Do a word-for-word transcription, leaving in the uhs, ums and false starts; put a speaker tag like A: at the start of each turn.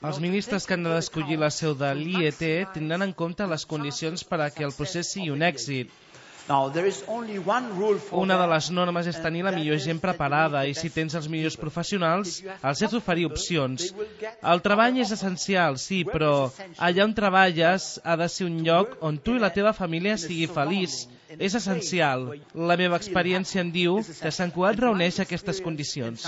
A: Els ministres que han d'escollir la seu de l'I E T tindran en compte les condicions per a que el procés sigui un èxit. Una de les normes és tenir la millor gent preparada i si tens els millors professionals, els has d'oferir opcions. El treball és essencial, sí, però allà on treballes ha de ser un lloc on tu i la teva família sigui feliç. És essencial. La meva experiència em diu que Sant Cugat reuneix aquestes condicions.